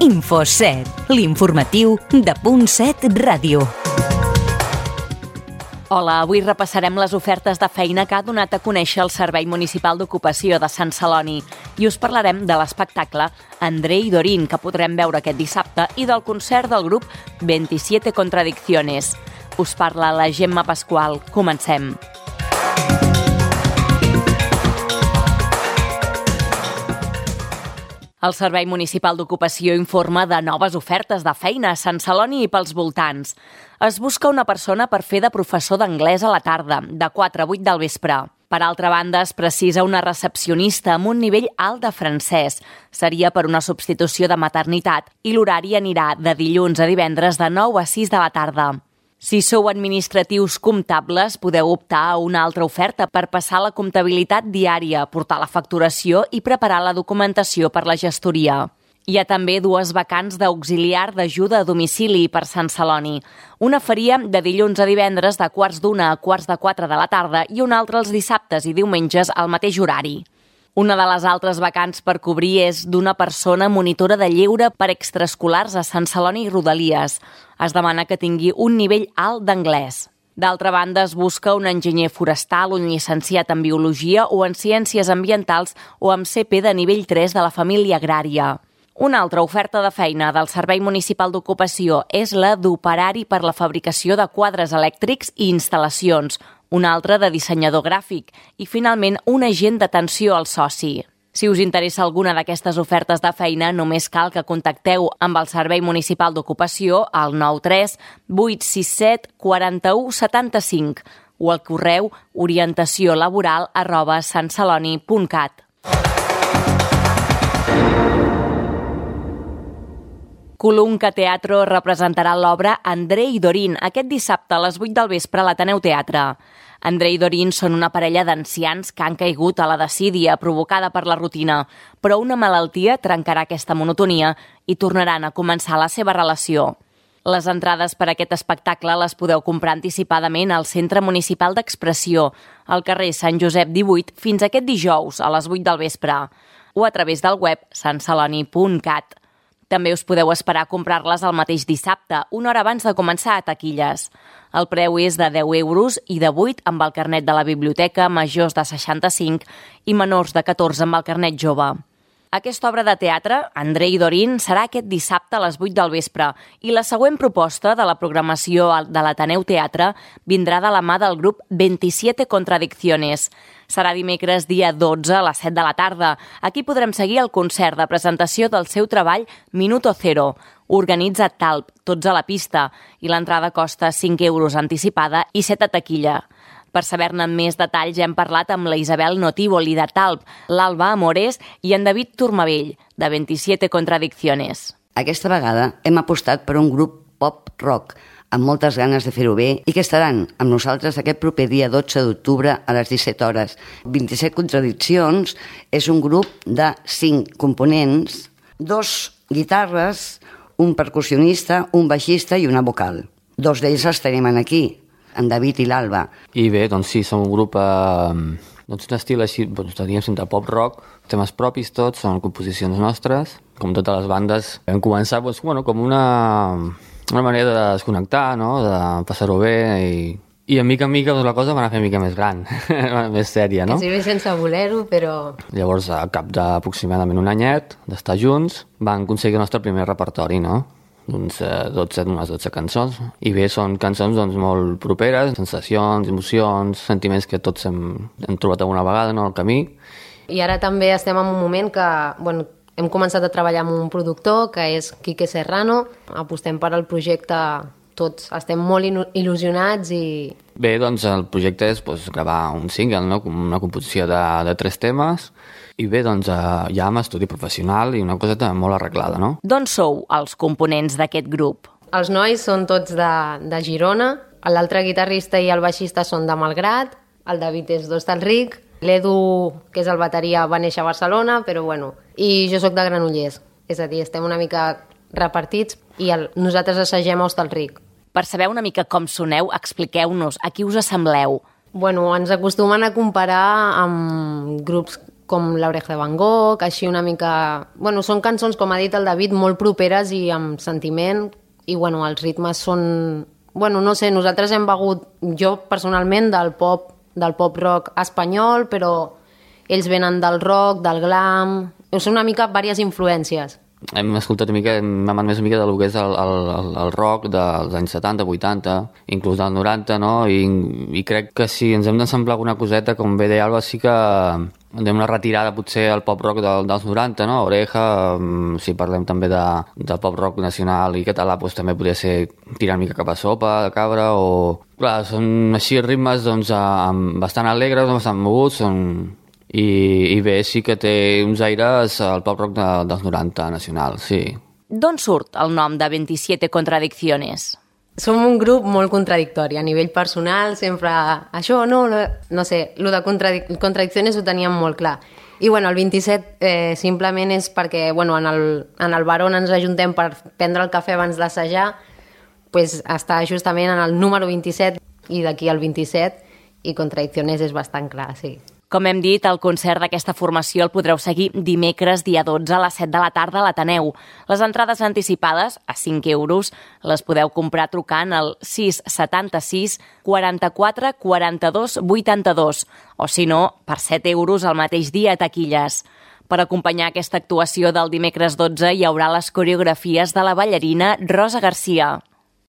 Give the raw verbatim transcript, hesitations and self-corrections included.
Info set, l'informatiu de Punt set Ràdio. Hola, avui repassarem les ofertes de feina que ha donat a conèixer el Servei Municipal d'Ocupació de Sant Celoni i us parlarem de l'espectacle Andrei Dorín, que podrem veure aquest dissabte, i del concert del grup veintisiete Contradicciones. Us parla la Gemma Pasqual. Comencem. El Servei Municipal d'Ocupació informa de noves ofertes de feina a Sant Celoni i pels voltants. Es busca una persona per fer de professor d'anglès a la tarda, de quatre a vuit del vespre. Per altra banda, es precisa una recepcionista amb un nivell alt de francès. Seria per una substitució de maternitat i l'horari anirà de dilluns a divendres de nou a sis de la tarda. Si sou administratius comptables, podeu optar a una altra oferta per passar la comptabilitat diària, portar la facturació i preparar la documentació per la gestoria. Hi ha també dues vacants d'auxiliar d'ajuda a domicili per Sant Celoni. Una faria de dilluns a divendres de quarts d'una a quarts de quatre de la tarda i una altra els dissabtes i diumenges al mateix horari. Una de les altres vacants per cobrir és d'una persona monitora de lleure per extraescolars a Sant Celoni i Rodalies. Es demana que tingui un nivell alt d'anglès. D'altra banda, es busca un enginyer forestal, un llicenciat en biologia o en ciències ambientals o amb C P de nivell tres de la família agrària. Una altra oferta de feina del Servei Municipal d'Ocupació és la d'operari per la fabricació de quadres elèctrics i instal·lacions, una altra de dissenyador gràfic i, finalment, un agent d'atenció al soci. Si us interessa alguna d'aquestes ofertes de feina, només cal que contacteu amb el Servei Municipal d'Ocupació al nou tres vuit sis set quatre u set cinc o al correu orientaciolaboral arroba santceloni punt cat. Colunca Teatro representarà l'obra Andrei Dorín aquest dissabte a les vuit del vespre a l'Ateneu Teatre. Andrei i Dorín són una parella d'ancians que han caigut a la desídia provocada per la rutina, però una malaltia trencarà aquesta monotonia i tornaran a començar la seva relació. Les entrades per a aquest espectacle les podeu comprar anticipadament al Centre Municipal d'Expressió, al carrer Sant Josep divuit, fins aquest dijous a les vuit del vespre, o a través del web santceloni punt cat. També us podeu esperar a comprar-les el mateix dissabte, una hora abans de començar a taquilles. El preu és de deu euros i de vuit amb el carnet de la biblioteca, majors de seixanta-cinc i menors de catorze amb el carnet jove. Aquesta obra de teatre, Andrei i Dorín, serà aquest dissabte a les vuit del vespre i la següent proposta de la programació de l'Ateneu Teatre vindrà de la mà del grup veintisiete Contradicciones. Serà dimecres dia dotze a les set de la tarda. Aquí podrem seguir el concert de presentació del seu treball Minuto Cero. Organitza Talp, tots a la pista, i l'entrada costa cinc euros anticipada i set a taquilla. Per saber-ne més detalls hem parlat amb la Isabel Notívoli de Talp, l'Alba Amores i en David Turmavell, de veintisiete Contradicciones. Aquesta vegada hem apostat per un grup pop-rock amb moltes ganes de fer-ho bé i que estaran amb nosaltres aquest proper dia dotze d'octubre a les disset hores. veintisiete Contradiccions és un grup de cinc components, dos guitarres, un percussionista, un baixista i una vocal. Dos d'ells els tenim aquí, en David i l'Alba. I bé, doncs sí, som un grup, eh, doncs un estil així, doncs diríem sempre pop-rock, temes propis tots, són composicions nostres. Com totes les bandes, vam començar doncs, bueno, com una, una manera de desconnectar, no? De passar-ho bé i, i a mica en mica doncs, la cosa va anar a fer mica més gran, més sèria, no? Que si bé sense voler-ho, però... Llavors, a cap d'aproximadament un anyet d'estar junts, vam aconseguir el nostre primer repertori, no? D'uns dotze, unes dotze cançons. I bé, són cançons doncs, molt properes, sensacions, emocions, sentiments que tots hem, hem trobat alguna vegada, no?, al camí. I ara també estem en un moment que, bueno, hem començat a treballar amb un productor, que és Quique Serrano. Apostem per al projecte tots. Estem molt il·lusionats i... Bé, doncs el projecte és doncs, gravar un single, no?, una composició de, de tres temes. I bé, doncs ja amb estudi professional i una cosa molt arreglada, no? D'on sou els components d'aquest grup? Els nois són tots de, de Girona, l'altre guitarrista i el baixista són de Malgrat, el David és d'Hostalric, l'Edu, que és el bateria, va néixer a Barcelona, però bueno, i jo sóc de Granollers, és a dir, estem una mica repartits i el, nosaltres assagem a Hostalric. Per saber una mica com soneu, expliqueu-nos a qui us assembleu. Bueno, ens acostumen a comparar amb grups com l'Oreja de Van Gogh, així una mica... Bueno, són cançons, com ha dit el David, molt properes i amb sentiment, i bueno, els ritmes són... Bueno, no sé, nosaltres hem begut, jo personalment, del pop, del pop rock espanyol, però ells venen del rock, del glam... Són una mica diverses influències. Hem escoltat una mica, hem amat més una mica del que és el, el, el rock dels anys setanta, vuitanta, inclús del noranta, no? I, i crec que si ens hem d'ensemblar alguna coseta, com bé deia Alba, sí que hem una retirada potser al pop rock del, dels noranta, no? Oreja, si parlem també de, de pop rock nacional i català, doncs també podria ser tirar una mica cap a Sopa, de Cabra, o... Clar, són així ritmes doncs, bastant alegres, bastant moguts, són... I, i bé, sí que té uns aires al pop rock de, dels noranta nacional, sí. D'on surt el nom de veintisiete Contradicciones? Som un grup molt contradictori, a nivell personal, sempre això, no, no, no sé, el de contradic contradiccions ho teníem molt clar. I bueno, el vint-i-set eh, simplement és perquè bueno, en, el, en el bar on ens ajuntem per prendre el cafè abans d'assajar, pues, està justament en el número vint-i-set i d'aquí al vint-i-set, i Contradicciones és bastant clar, sí. Com hem dit, el concert d'aquesta formació el podreu seguir dimecres, dia dotze, a les set de la tarda a l'Ateneu. Les entrades anticipades, a cinc euros, les podeu comprar trucant al sis setanta-sis quaranta-quatre quaranta-dos vuitanta-dos o, si no, per set euros el mateix dia a taquilles. Per acompanyar aquesta actuació del dimecres dotze hi haurà les coreografies de la ballarina Rosa Garcia.